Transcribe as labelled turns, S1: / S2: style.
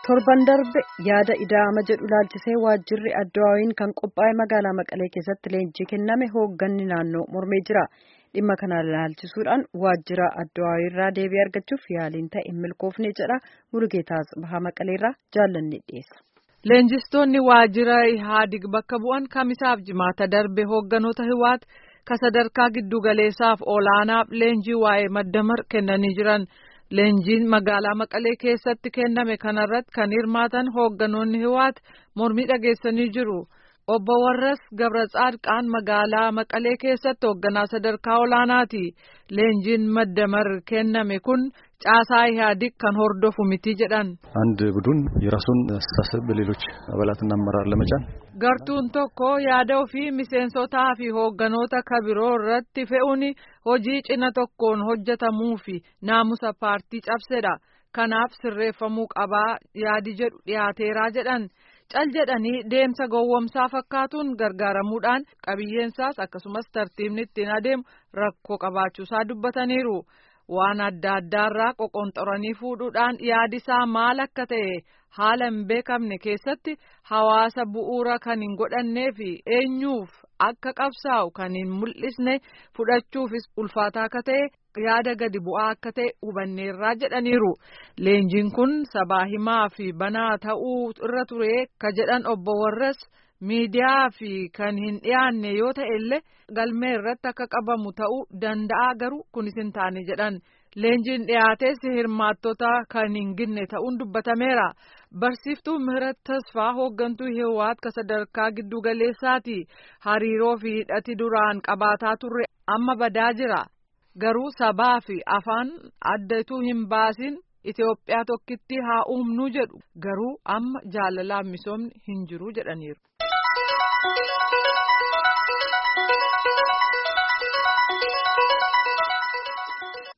S1: Torban darbe yaada ida'ama jedhu ilaalchisee waajjirri Addawaawiin kan qophaa'e magaalaa Maqalee keessatti leenjii kenname hoogganni naannoo mormee jira. Dhimma kana ilaalchisuudhaan waajjira Addawaawii irraa deebii argachuuf yaaliin ta'e hin milkoofne jedha. Mulugeetaa Bahaa Maqaleerraa jaallanni dhiyeessa.
S2: Leenjistoonni waajjira Ihaadig bakka bu'an kamisaaf jimaata darbe hoogganoota Hiwaat ka sadarkaa giddugaleessaaf olaanaaf leenjii waa'ee maddamar kennanii jiran. Leenjiin magaalaa Maqalee keessatti kenname kanarratti kan hirmaatan hoogganoonni Hiwaat mormii dhageessanii jiru. Obbo Warras Gabratsaadqaan magaalaa Maqalee keessatti hoogganaa sadarkaa olaanaati. Leenjiin maddamar kenname kun caasaa Ihaadig kan hordofu miti jedhan.
S3: አንድ ቡድን የራሱን አስተሳሰብ በሌሎች አባላትና አመራር ለመጫን
S2: Gartuun tokko yaada ofii miseensotaa fi hoogganoota kabiroo irratti fe'uun hojii cina tokkoon hojjetamuu fi naamusa paartii cabsedha. Kanaaf sirreeffamuu qabaa yaadi jedhu dhiyaateeraa jedhan. Cal jedhanii deemsa gowwomsaa fakkaatuun gargaaramuudhaan qabiyyeensaas akkasumas tartiibni ittiin adeemu rakkoo qabaachuusaa dubbataniiru. Waan adda addaarraa qoqonxoranii fuudhuudhaan yaadisaa maal akka ta'e haala hin beekamne keessatti hawaasa bu'uura kan hin godhannee fi eenyuuf akka qabsaa'u kan hin mul'isne fudhachuufis ulfaataa akka ta'e yaada gadi bu'aa akka ta'e hubanneerraa jedhaniiru. Leenjiin kun sabaa himaa fi banaa ta'uu irra ture ka jedhan obbo Warras miidiyaa fi kan hin dhiyaanne yoo ta'e illee galmee irratti akka qabamu ta'uu danda'a garuu kunis hin taane jedhan. Leenjiin dhiyaates hirmaattota kan hin ginne ta'uun dubbatameera. Barsiiftuu Mihirat Tasfaa hooggantuu Hiwaat ka sadarkaa giddu galeessaati. Hariiroo fi hidhati duraan qabaataa turre amma badaa jira. Garuu sabaa fi afaan addatu hin baasin Itoophiyaa tokkitti haa uumnuu jedhu. Garuu amma jaalalaan misoomni hin jiru jedhaniiru.